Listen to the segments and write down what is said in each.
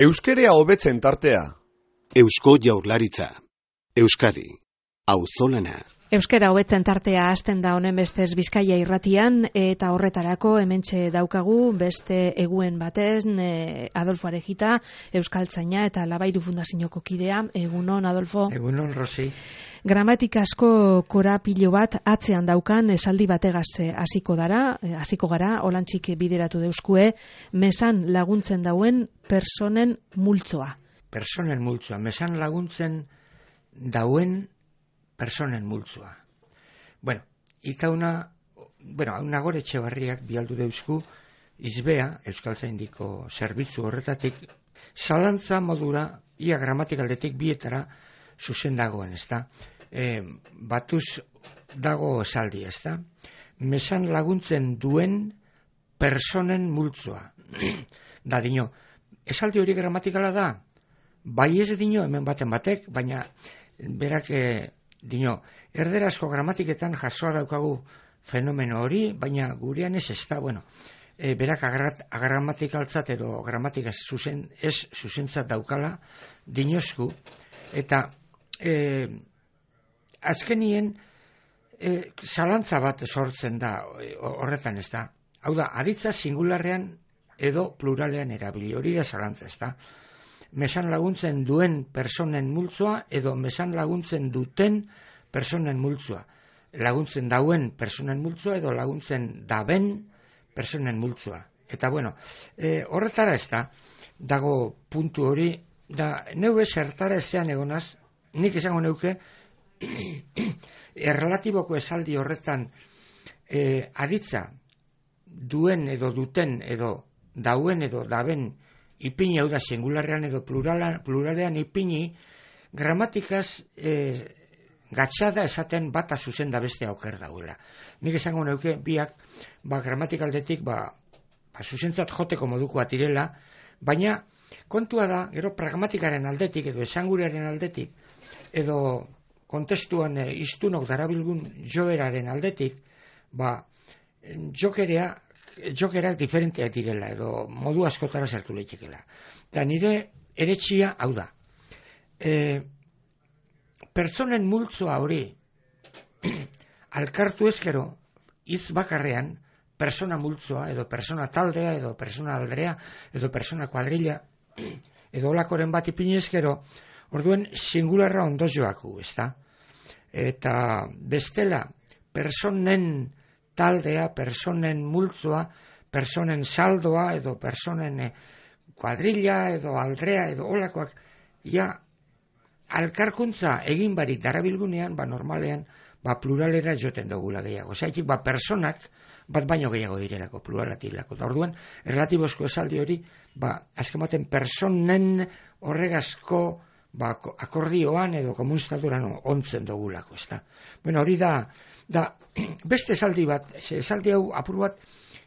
Euskerea hobetzen tartea. Eusko Jaurlaritza. Euskadi. Auzolana. Euskera hobetzen tartea hasten da honen bestez Bizkaia irratian, eta horretarako hementxe daukagu beste eguen batez Adolfo Arejita, euskaltzaina eta Labairu Fundazioko kidea. Egunon, Adolfo. Egunon, Rosi. Gramatikazko korapilo bat atzean daukan esaldi bategaz hasiko gara, holantzik bideratu deuskue, mesan laguntzen dauen personen multzoa. Personen multzoa, mesan laguntzen dauen personen multzoa. Una gore Etxebarriak bialdu deusku izbea, euskaltzaindiko zerbitzu horretatik, zalantza modura, ia gramatikaldetik bietara zuzen dagoen, ezta? Batuz dago esaldi, ezta? Mesan laguntzen duen personen multzoa. Da dino, esaldi hori gramatikala da? Bai ez dino hemen baten batek, baina berak dino, erderazko gramatiketan jasoa daukagu fenomeno hori, baina gurean ez da, berak agramatikaltzat edo gramatika zuzentzat daukala dinosku, eta azkenien zalantza bat sortzen da horretan, ez da. Hau da, aditza singularrean edo pluralean erabili, hori da zalantza, ez da. Mesan laguntzen duen personen multzoa edo mesan laguntzen duten personen multzoa. Laguntzen dauen personen multzoa edo laguntzen daben personen multzoa. Eta horretara ez da, dago puntu hori, da neue zertara ezean egonaz, nik esango neuke, errelatiboko esaldi horretan aditza duen edo duten edo dauen edo daben ipini, hau da, singularrean edo pluralean ipini, gramatikaz gatxada esaten bata zuzen da beste auker dauela. Nik esango neuke, biak, gramatikaldetik, zuzentzat joteko moduko atirela, baina kontua da, gero pragmatikaren aldetik, edo esangurearen aldetik, edo kontestuan iztunok darabilgun joeraren aldetik, jokerak diferenteak direla, edo modu askotara sartu leitekela. Eta nire eretxia hau da. Pertsonen multzoa hori alkartu ezkero, hitz bakarrean, persona multzoa, edo persona taldea, edo persona aldrea, edo persona kuadrilla, edo olakoren bat ipini ezkero, orduen singularra ondo joaku, ezta? Eta bestela, personen taldea, personen multzoa, personen saldoa, edo personen kuadrilla, edo aldrea, edo olakoak, alkarkuntza egin barik darabilgunean, normalean, pluralera joten dugula gehiago. Zaitik, personak bat baino gehiago direlako, pluralatilako. Da orduan, erlatibozko esaldi hori, azken baten personen horregazko akordioan edo komunistaturan ontzen dugulako, ez da. Hori da beste esaldi bat, esaldi hau apur bat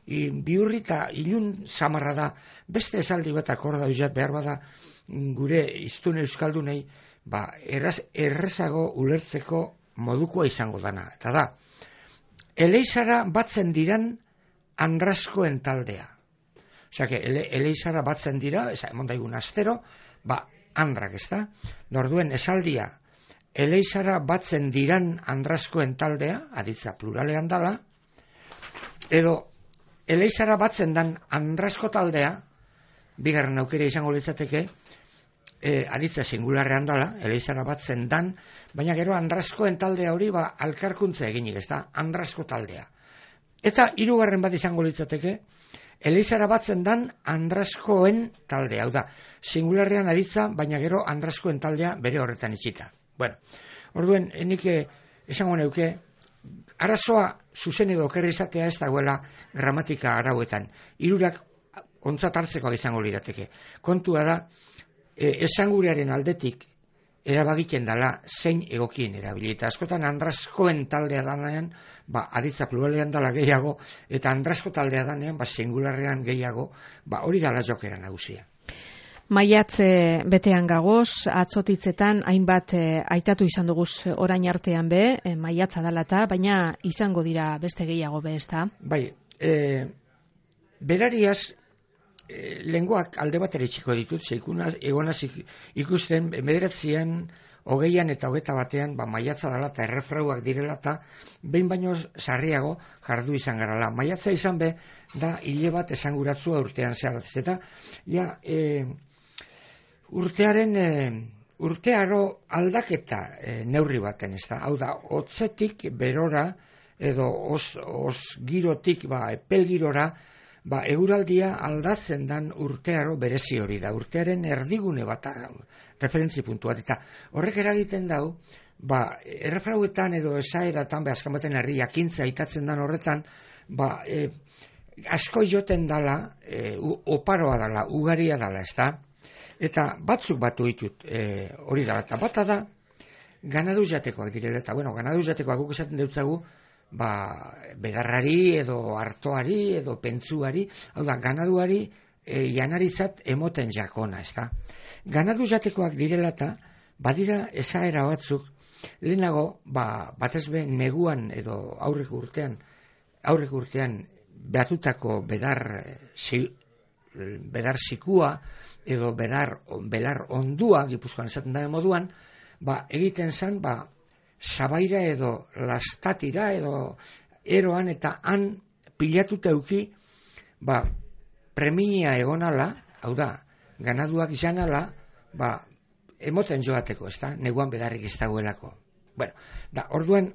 bihurri eta ilun samarra da, beste esaldi bat akorda uzat behar bada gure iztun euskaldunei, errezago ulertzeko modukoa izango dana. Eta da, eleizara batzen diran andraskoen taldea. Osea, eleizara batzen dira, emon daigun astero, andrak, ez da? Orduen esaldia, eleizara batzen diran andraskoen taldea, aditza pluralean dala, edo eleizara batzen dan andrasko taldea, bigarren aukera izango litzateke, aditza singularrean dala, eleizara batzen dan, baina gero andraskoen taldea hori alkarkuntza eginik, ez da? Andrasko taldea. Eta hirugarren bat izango litzateke, eleizara batzen dan andraskoen taldea, hau da, singularrean aditza, baina gero andraskoen taldea bere horretan itxita. Orduen, nik esango neuke, arazoa zuzen edo okerri izatea ez dagoela gramatika arauetan. Hirurak ontzat hartzekoak izango lirateke. Kontua da, esangurearen aldetik erabagiten dela zein egokien erabili. Eta askotan andraskoen taldea danean, aditza pluralean dela gehiago, eta andrasko taldea danean, singularrean gehiago, hori dela jokera nagusia. Maiatz betean gagoz, atzotitzetan hainbat aitatu izan duguz orain artean maiatza dalata, baina izango dira beste gehiago ezta? Berariaz lenguak alde batera itxiko ditut, egonaz ikusten 19 hogeian eta 21 maiatza dela eta errefrauak direla eta behin baino sarriago jardu izan garala. Maiatza izan be, da hile bat esanguratzua urtean zeharatz. Eta urtearo aldaketa neurri baten, ez da. Hau da, hotzetik berora edo os girotik epel girora, eguraldia aldatzen dan urtearo berezi hori da. Urtearen erdigune bat, referentzi puntu bat. Eta horrek eragiten dau, errefrauetan edo esaeratan, azkan baten herri jakintza aitatzen dan horretan, asko joten dala, oparoa dala, ugaria dala, ez da? Eta batzuk batu ditut hori dala. Eta bata da, ganadu jatekoak direla. Eta, ganadu jatekoak guk esaten deutzagu, bedarrari edo artoari edo pentsuari, hau da, ganaduari janarizat emoten jakona, ez da. Ganadu jatekoak direla eta badira esaera batzuk, lehenago, batez be neguan edo aurreko urtean behatutako bedar sikua edo belar ondua, Gipuzkoan esaten da moduan, egiten zen, sabaira edo lastatira edo eroan eta han pilatuta euki premia egonala, hau da, ganaduak izanala, emoten joateko, ez da, neguan bedarrik ez dagoelako. Orduan,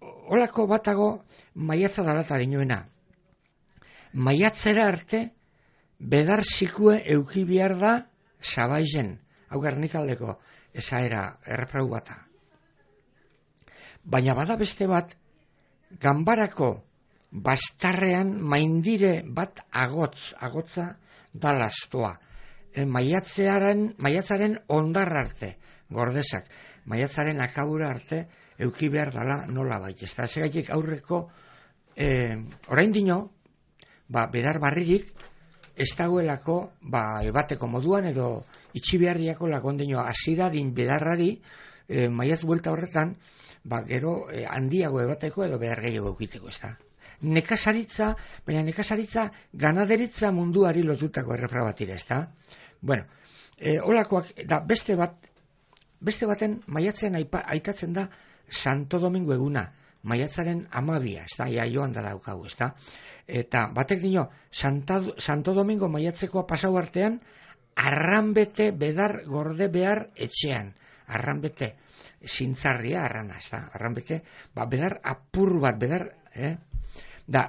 holako batago maiatza dalata dinoena. Maiatzera arte, bedar sikue euki behar da sabaizen, hau Gernikaldeko esaera errefrau bata. Baina bada beste bat, ganbarako bastarrean maindire bat agotza da lastoa. Maiatzaren ondar arte, gordesak, maiatzaren akabura arte, euki behar dala nola bait. Ez da, segaitik aurreko, orain dino, bedar barririk, ez dagoelako, ebateko moduan, edo itxibeharriako lakondino azidadin bedarrari, maiatz buelta horretan, gero handiago ebateko edo behar gehiago eukiteko, ez da. Nekazaritza, baina nekazaritza ganaderitza munduari lotutako errefra batira, ez da. Holakoak, beste baten maiatzean aitatzen da Santo Domingo eguna, maiatzaren 12, ez da, joan da daukagu, ez da. Eta batek dino, Santo Domingo maiatzekoa pasau artean, arranbete bedar gorde behar etxean. Arranbete, zintzarria arrana, ez da, arranbete, bedar apur bat, bedar,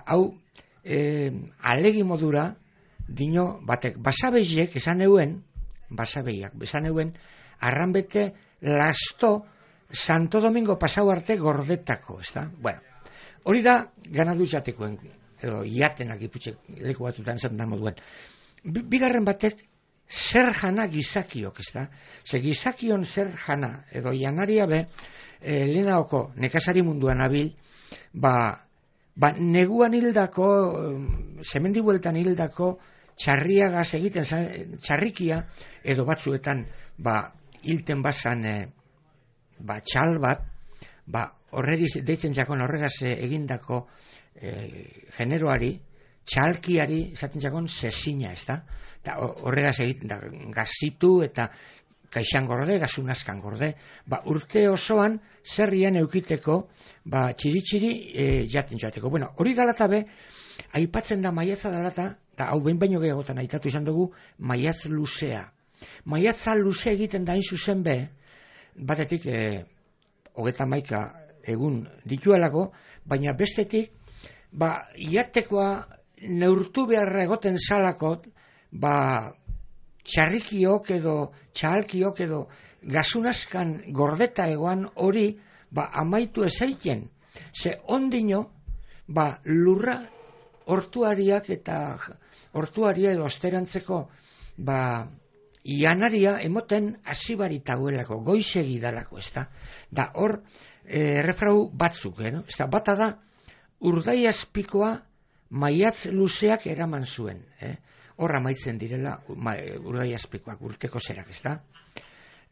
hau, alegi modura, dino, batek, basabeiek, esan euen, arranbete, lasto, Santo Domingo pasau arte gordetako, ez da, hori da, ganadu jatekoen, edo, iatenak iputxek, leku batutan zen da moduen. Bigarren batek, zer jana gizakiok, ez da? Ze gizakion zer jana, edo janaria be, lehenaoko nekazari munduan abil, neguan hildako, semendibueltan hildako, txarriagaz egiten, txarrikia, edo batzuetan, hilten bazan, txal bat, horregiz, deitzen jakon horregaz egindako generoari, txalkiari, esaten jakon, sesina, ez da? Horregaz egiten, gazitu eta kaixan gorde, gazunazkan gorde. Urte osoan, zerrian eukiteko, txiri-txiri jaten joateko. Hori galatabe, aipatzen da maiatza dalata, eta hau behin baino gehiagotan aitatu izan dugu, maiatz luzea. Maiatza luze egiten da hain zuzen be, batetik, 31 egun dituelako, baina bestetik, iatekoa neurtu beharra egoten salakot, txarrikiok edo txahalkiok edo gazunazkan gordeta egoan hori amaitu ezaiten. Ze ondino lurra hortuariak eta hortuaria edo osterantzeko ianaria emoten hasibaritagoelako, goizegi dalako, ez da. Da hor errefrau batzuk, ez da, bata da urdai azpikoa maiatz luzeak eraman zuen, hor amaitzen direla urdai azpikoak, urteko zerak, ez da.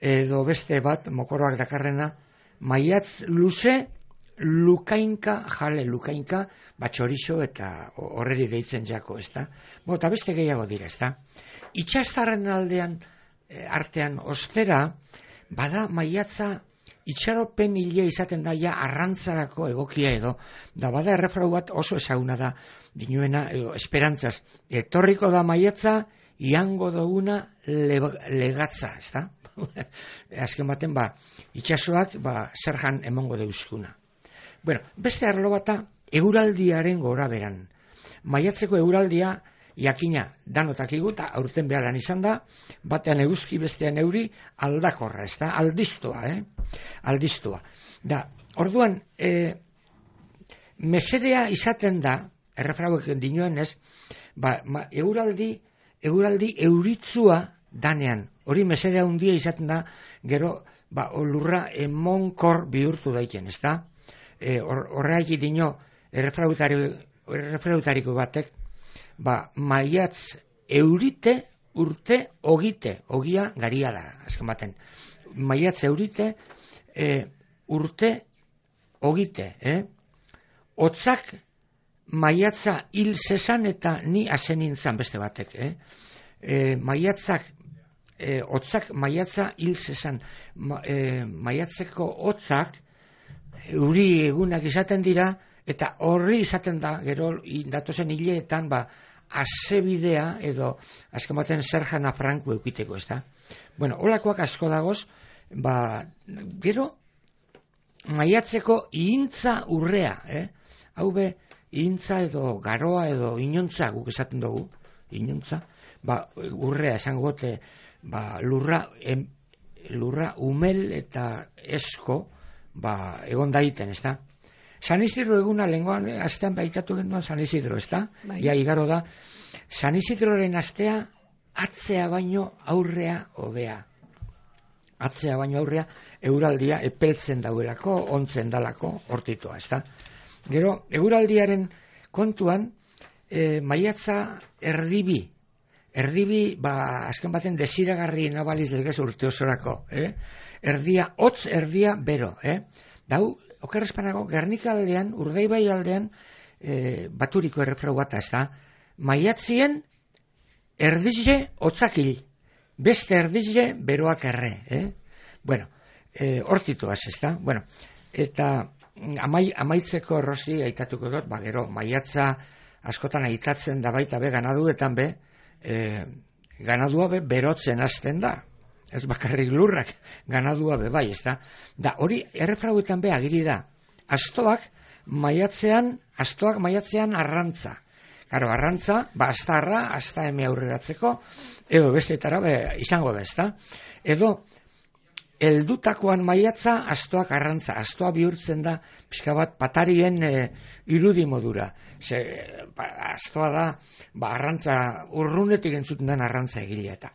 Edo beste bat, mokoroak dakarrena, maiatz luze lukainka, jale lukainka, txorizo eta horreri deitzen jako, ezta? Eta beste gehiago dira, ezta? Itxastarren artean ostera, bada maiatza itxaropen hile izaten da ja arrantzarako egokia edo, da bada errefrau bat oso ezaguna da, dinuena, esperantzaz, etorriko da maiatza, iango duguna legatza, ezta? Azken baten, itxasoak, zerjan emongo deuzkuna. Bueno, beste arlo bata, eguraldiaren gora beran. Maiatzeko eguraldia, jakina danotak iguta, aurten behalan izan da, batean eguzki, bestean euri, aldakorra, ez da, aldiztua, aldiztua. Da, orduan, mesedea izaten da, errefrauek dinoen ez, eguraldi euritzua danean, hori mesedea hundia izaten da, gero, lurra emonkor bihurtu daiken, ez da? Horreak dino, errefrautariko batek, maiatz eurite urte ogite, ogia garia da, azken baten. Maiatz eurite urte ogite, Otzak maiatza hil zesan eta ni azen nintzen beste batek, Otzak maiatza hil zesan, maiatzeko otzak euri egunak izaten dira, eta horri izaten da, gero datozen hileetan, azebidea edo, azken baten zerjana franku eukiteko, ez da? Bueno, holakoak asko dagoz, gero, maiatzeko ihintza urrea, hau be, ihintza edo garoa edo inontza, guk esaten dugu, inontza, urrea esango gote, lurra umel eta esko, egon daiten, ez da? San Isidro eguna lengoan, astean baitatu genduan San Isidro, ez da? Ja, igaro da. San Isidroren astea, atzea baino aurrea hobea. Atzea baino aurrea, euraldia epeltzen dauelako, ontzen dalako, hortitoa, ez da? Gero, euraldiaren kontuan, maiatza erdibi, azken baten desiragarri nabaliz legez urte osorako, erdia, hotz erdia bero, dau, okerrezpanago, Gernika aldean, Urdaibai aldean, baturiko errefrau bat, ez da, maiatzien erdizle hotzakil, beste erdizle beroak erre, Bueno, hortituaz, ez da, bueno, eta amaitzeko errozi aitatuko dut, gero, maiatza askotan aitatzen da baita be, ganaduetan be, ganadua be, berotzen hasten da, ez bakarrik lurrak, ganadua be bai, ez da. Da, hori errefrauetan be agiri da. Astoak maiatzean arrantza. Karo, arrantza, astarra, asta eme aurreratzeko, edo besteetara izango da, ez da. Edo, heldutakoan maiatza, astoak arrantza. Astoa bihurtzen da, pixka bat, patarien irudi modura. Astoa da, arrantza, urrunetik entzuten den arrantza egilea. Eta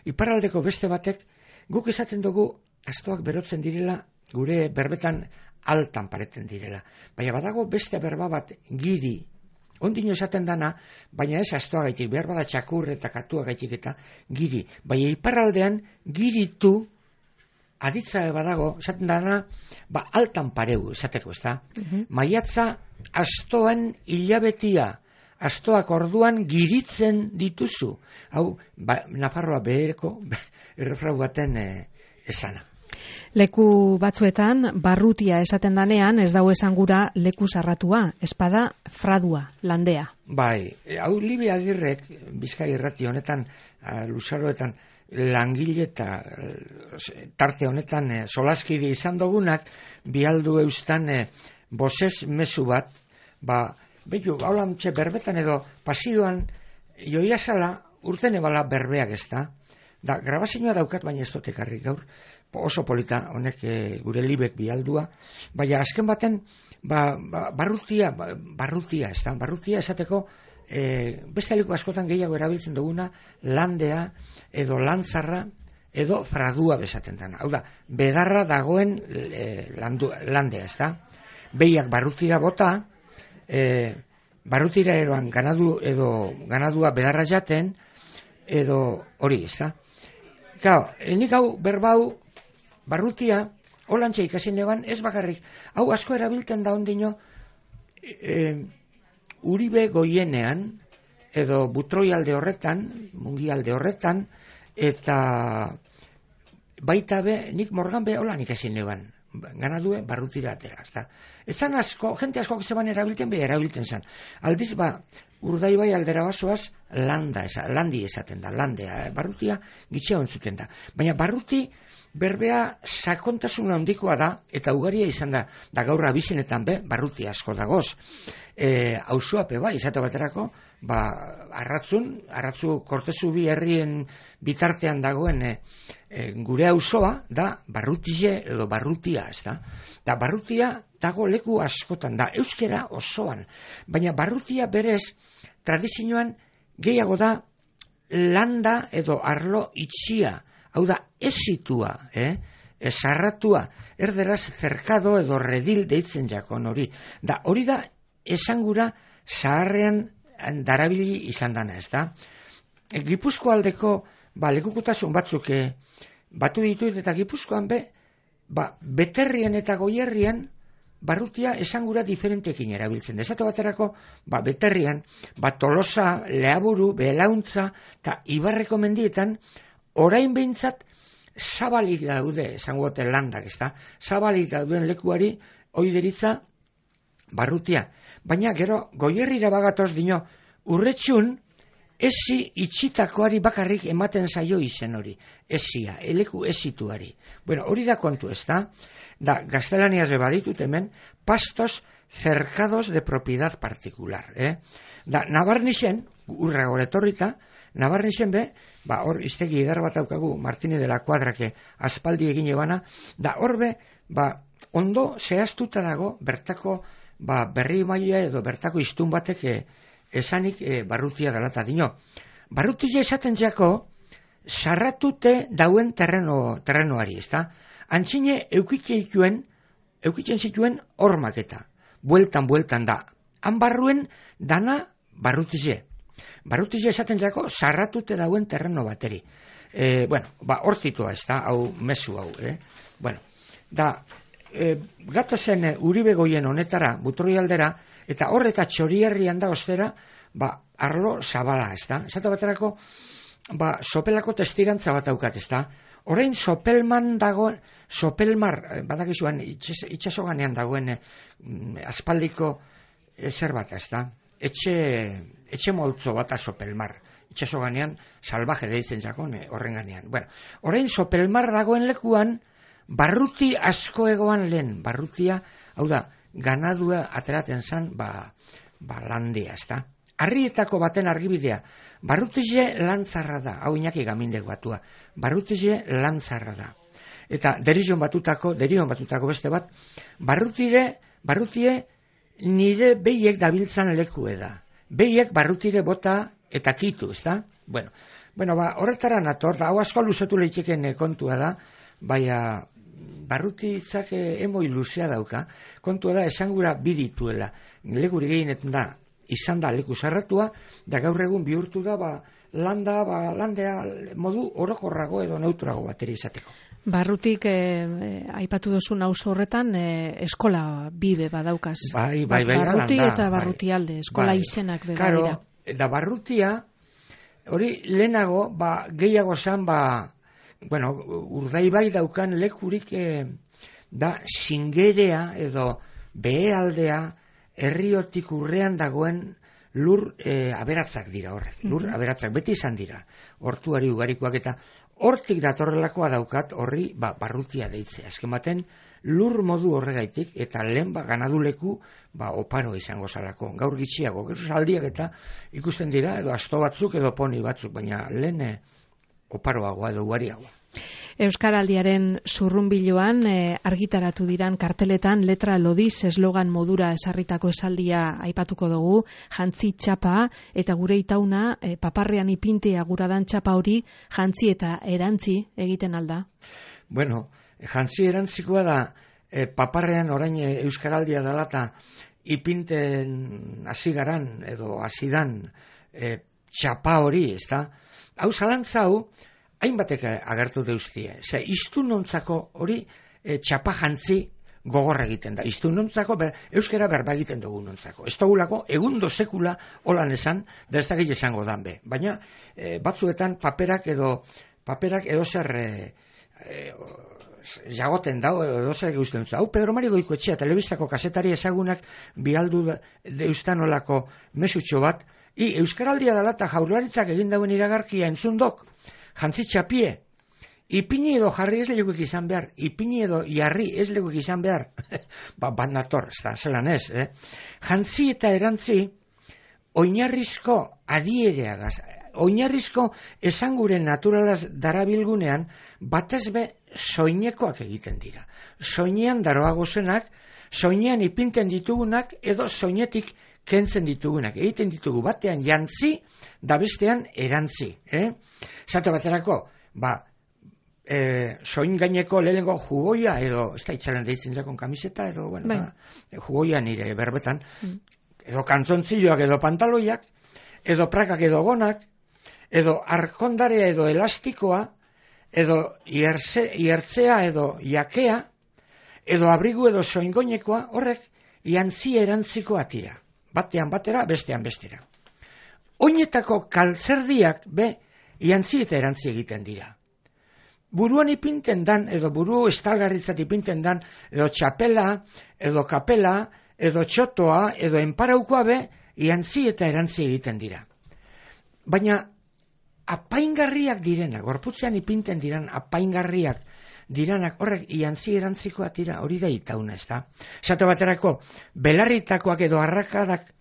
iparraldeko beste batek, guk esaten dugu astoak berotzen direla, gure berbetan altan pareten direla. Baina badago beste berba bat giri, ondino esaten dana, baina ez astoa gaitik, behar bada txakur eta katua gaitik eta giri. Baina iparraldean giritu, aditza badago, esaten dana, altan pareu esateko, ez da? Maiatza astoan hilabetia, astoak orduan giritzen dituzu. Hau, Nafarroa behereko errefrau baten esana. Leku batzuetan, barrutia esaten danean, ez dago esan gura leku sarratua, espada fradua, landea. Bai, hau Libe Agirrek, Bizkai irrati honetan, luzaroetan, langile eta tarte honetan solaskide izan dugunak, bialdu eustan bosez mezu bat, behiu, haulantxe berbetan edo pasioan joiazala urten ebala berbeak ez da. Da, grabazioa daukat, baina ez dut ekarri gaur, oso polita honek gure Libek bialdua, baina azken baten barrutia ez da, barrutia esateko beste aliko askotan gehiago erabiltzen duguna landea edo lantzarra edo fradua bezaten dena. Hau da, bedarra dagoen landea ez da. Behiak barrutira bota, barrutira eroan ganadua bedarra jaten, edo hori, ez da? Nik hau berbau barrutia holantxe ikasi neban, ez bakarrik, hau asko erabiltzen da ondino, Uribe Goienean, edo Butroi alde horretan, Mungi alde horretan, eta baita be, nik Morgan be holan ikasi neban, ganadue barrutira atera, ezta. Ezan asko, jente asko zeban erabiltzen, be erabiltzen zan. Aldiz, Urdaibai aldera basoaz, landi esaten da, landea, barrutia gitxea ontzuten da. Baina barruti berbea sakontasun handikoa da, eta ugaria izan da gaur abizenetan be, barruti asko dagoz. Auzoape izate baterako, arratzu Kortezu bi herrien bitartean dagoen gure auzoa da barrutize edo barrutia, ezta? Da barrutia dago leku askotan da, euskera osoan, baina barrutia berez tradizioan gehiago da landa edo arlo itxia, hau da esitua, esarratua, erderaz cerkado edo redil deitzen jakon hori. Da hori da esangura zaharrean darabili izan dana, ezta? Gipuzko aldeko lekukutasun batzuk batu ditut eta Gipuzkoan beterrien eta goierrien barrutia esangura diferentekin erabiltzen. Esate baterako, beterrian, Tolosa, Leaburu, Belauntza eta Ibarreko mendietan orain behintzat zabalik daude, esangote landak, ezta? Zabalik dauden lekuari hori deritza barrutia. Baina gero goierrira bagatoz dino, urretxun esi itxitakoari bakarrik ematen zaio izen hori. Esia, eleku esituari. Bueno, hori da kontu, ezta? Da, gaztelaniaz baditut hemen, pastos cercados de propiedad particular. Da, Nabarnixen, urra goretorrita, Nabarnixen hor iztegi edar bat daukagu, Martini de la Cuadrake aspaldi egin ebana, da horbe, ondo zehaztuta dago, bertako, berri maila edo bertako iztun batek esanik barrutia dalata dino. Barrutia esaten jako, sarratute dauen terrenoari, ezta? Antzine eukitzen zituen hormak bueltan da. Han barruen dana barrutize. Barrutize esaten jako sarratute dauen terreno bateri. Hor zitua, ez da, hau mezu hau. Bueno, da, gatozen Uribe Goien honetara, Butroi aldera, eta horreta Txorierrian da ostera, arlo zabala, ez da. Esate baterako, sopelako testirantza bat daukat, ez da. Orain sopelman dagoen, sopelmar, badakizuan itxasoganean dagoen aspaldiko zer bat, ez da. Etxe moltzo bat sopelmar. Itxasoganean salvaje deitzen jakon horren ganean. Bueno, orain sopelmar dagoen lekuan, barruti asko egoan lehen. Barrutia, hau da, ganadua ateraten zan, landia, ez da. Arrietako baten argibidea, barrutize lantzarra da, hau Iñaki Gamindek batua, barrutize lantzarra da. Eta derion batutako beste bat, barrutie nire behiek dabiltzan lekue da. Behiek barrutire bota eta kitu, ez da? Bueno, horretara nator, da, hau asko luzatu lehitzeken kontua da, baina barrutitzak emoi luzea dauka, kontua da esangura bidituela, leguri gehienetan da, izan da leku zarratua, da gaur egun bihurtu da, landea modu orokorrago edo neutrago bateri izateko. Barrutik aipatu duzun auzo horretan eskola bibe badaukaz. Barruti eta barrutialde, eskola izenak beba dira. Da barrutia, hori lehenago, gehiago zan, Urdaibai daukan lekurik da Singerea edo Behealdea herriotik urrean dagoen lur aberatzak dira horrek. Lur aberatzak beti izan dira. Hortuari ugarikoak eta hortik datorrelakoa daukat horri barrutia deitzea. Azken baten lur modu horregaitik eta lehen ganaduleku oparo izango zalako. Gaur gitxiago, aldiak eta ikusten dira edo asto batzuk edo poni batzuk, baina lehen oparoagoa edo ugariagoa. Euskaraldiaren zurrunbiloan argitaratu diran karteletan letra lodiz eslogan modura esarritako esaldia aipatuko dugu, jantzi txapa eta gure itauna paparrean ipintea guradan txapa hori jantzi eta erantzi egiten alda. Bueno, jantzi erantzikoa da paparrean orain euskaraldia dela eta ipinten hasigaran edo hasidan txapa hori, ez da? Hau zalantza hau, hainbatek agertu deustie. Iztunontzako hori txapa jantzi gogorra egiten da. Iztu nontzako, euskera berba egiten dugu nontzako. Ez dugulako, egundo sekula holan esan, da ez da gehi esango dan be. Baina, batzuetan paperak edo zer jagoten dau, edo zer guztien dut. Hau, Pedro Mari Goikoetxea, telebistako kasetari ezagunak bialdu deustan olako mesutxo bat, euskaraldia dela eta Jaurlaritzak egin dauen iragarkia entzundok, jantzi txapie, ipini edo jarri ez leguek izan behar, ipini edo jarri ez leguek izan behar, bat nator, ez da, zelan ez, jantzi eta erantzi, oinarrizko adiereagaz, oinarrizko esanguren naturalaz darabilgunean, batez be soinekoak egiten dira. Soinean daroagozenak, soinean ipinten ditugunak, edo soinetik kentzen ditugunak. Egiten ditugu batean jantzi, da bestean erantzi. Zate baterako, soin gaineko lehenengo jugoia, edo, ez da itxalen deitzen jakon kamiseta, edo, bueno, jugoia nire berbetan, edo kantzontziloak edo pantaloiak, edo prakak edo gonak, edo arkondarea edo elastikoa, edo iertzea edo jakea, edo abrigu edo soingoinekoa, horrek jantzi erantziko atira. Batean batera, bestean bestera. Oinetako kaltzerdiak jantzi eta erantzi egiten dira. Buruan ipinten dan, edo buru estalgarritzat ipinten dan, edo txapela, edo kapela, edo txotoa, edo enparaukoa jantzi eta erantzi egiten dira. Baina, apaingarriak direnak, gorputzean ipinten diran apaingarriak diranak, horrek jantzi erantzikoa tira, hori da itauna, ez da? Esate baterako, belarritakoak edo arrakadak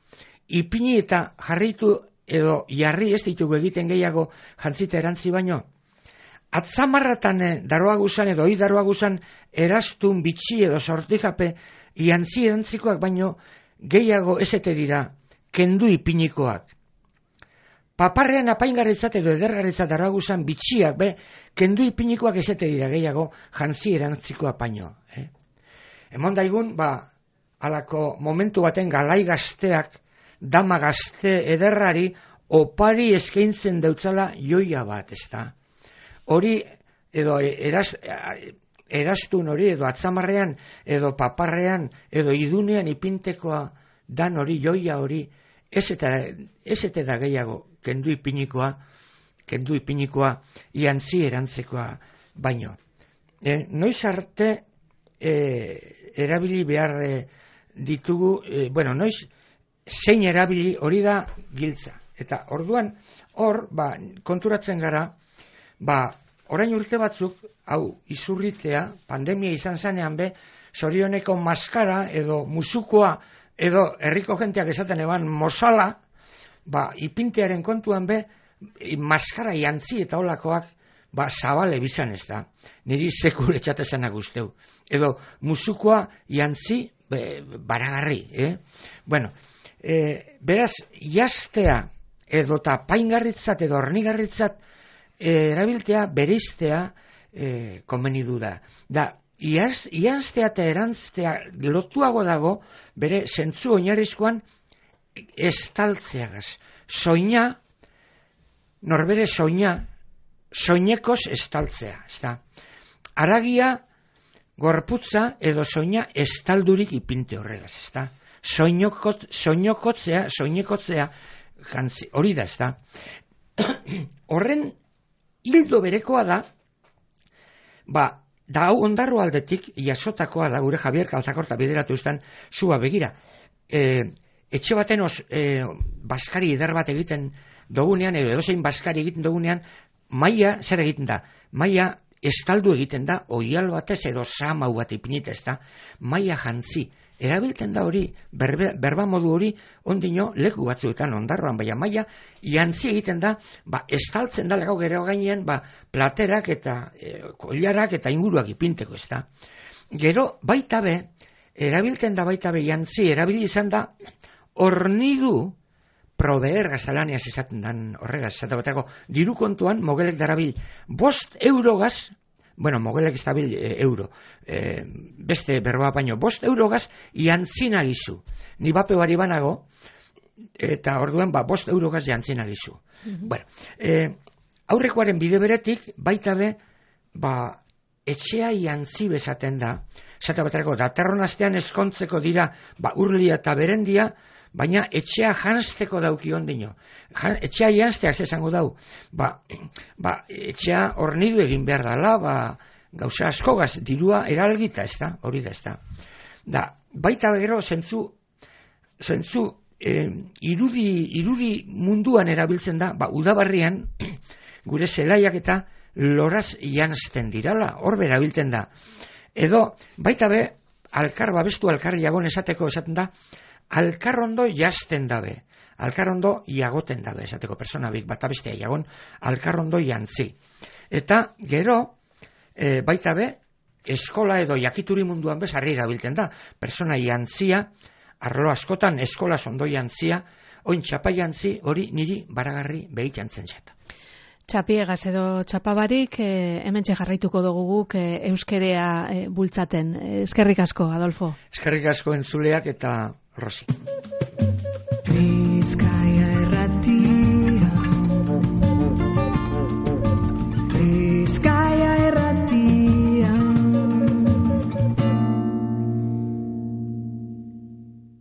ipini eta jarritu edo jarri ez ditugu egiten gehiago jantzita erantzi baino, atzamarratan daroaguzan edo hoi daroaguzan erastun bitxi edo sortijape jantzi erantzikoak baino gehiago esete dira kendu ipinikoak. Paparrean apaingarritzat edo edergarritzat daroaguzan bitxiak, kendu ipinikoak esete dira gehiago jantzi erantzikoa baino. Emon daigun, halako momentu baten galai gazteak, dama gazte ederrari, opari eskaintzen deutzala joia bat, ez da. Hori, edo erastun hori, edo atzamarrean, edo paparrean, edo idunean ipintekoa dan hori, joia hori, ez eta da gehiago kendu ipinikoa jantzi erantzekoa baino. Noiz arte erabili behar ditugu, noiz zein erabili hori da giltza. Eta orduan, konturatzen gara, orain urte batzuk, hau izurritea, pandemia izan zanean zorioneko maskara edo musukoa, edo herriko jenteak esaten eban mozala, ipintearen kontuan maskara jantzi eta holakoak zabale bizan ez da. Niri sekule txatezanak usteu. Edo musukoa jantzi baragarri. Beraz, jaztea edo eta paingarritzat edo hornigarritzat erabiltea, bereiztea konbenidu da. Iaztea eta erantztea lotuago dago bere zentzu oinarrizkoan estaltzeagaz. Soina, norbere soinekoz estaltzea. Aragia, gorputza edo soina estaldurik ipinte horregaz. Soinekotzea, hori da, ez da. Horren hildo berekoa da hau ondarro aldetik jasotakoa da gure Javier Kalzakorta bideratu izan zua begira. Etxe baten baskari eder bat egiten dugunean, edo edozein baskari egiten dugunean, maila zer egiten da? Maila estaldu egiten da, oial batez edo samau bat ipinita ez da, maila jantzi. Erabiltzen da hori, berba modu hori, ondino leku batzuetan ondarroan, baina maila jantzi egiten da, estaltzen da legau gero gainean, platerak eta koilarak eta inguruak ipinteko ez da. Gero, baita erabiltzen da baita jantzi, erabili izan da, hornidu proveer gazalaniaz esaten dan horregaz, esate batako, diru kontuan, mogelek darabil, 5 eurogaz, mogelek ez dabil euro, beste berba baino, 5 eurogaz, jantzina gizu. Ni bape bari banago, eta orduan, 5 eurogaz jantzina gizu. Aurrekoaren bide beretik, baita etxea jantzi bezaten da, esate baterako, datorren astean eskontzeko dira, urlia eta berendia, baina etxea janzteko dauki ondino. Etxea janzteak esango dau, etxea hornidu egin behar dela, gauza askogaz dirua eralgita, ez da, hori da, ez da. Baita gero, zentzu irudi munduan erabiltzen da, udabarrian, gure zelaiak eta loraz janzten dirala, hor berabiltzen da. Edo, baita be, babestu alkar jagon esateko esaten da, alkar ondo jazten dabe, alkar ondo jagoten dabe, esateko persona bat abestea jagon, alkar ondo jantzi. Eta, gero, baita be, eskola edo jakituri munduan bez, harri erabiltzen da, persona jantzia, arlo askotan eskola ondo jantzia, oin txapa jantzi, hori niri baragarri behit jantzen zeta. Txapiegaz edo txapabarik, hemen jarraituko dugu guk euskerea bultzaten. Eskerrik asko, Adolfo. Eskerrik asko entzuleak eta Rosi. Bizkaia Irratia.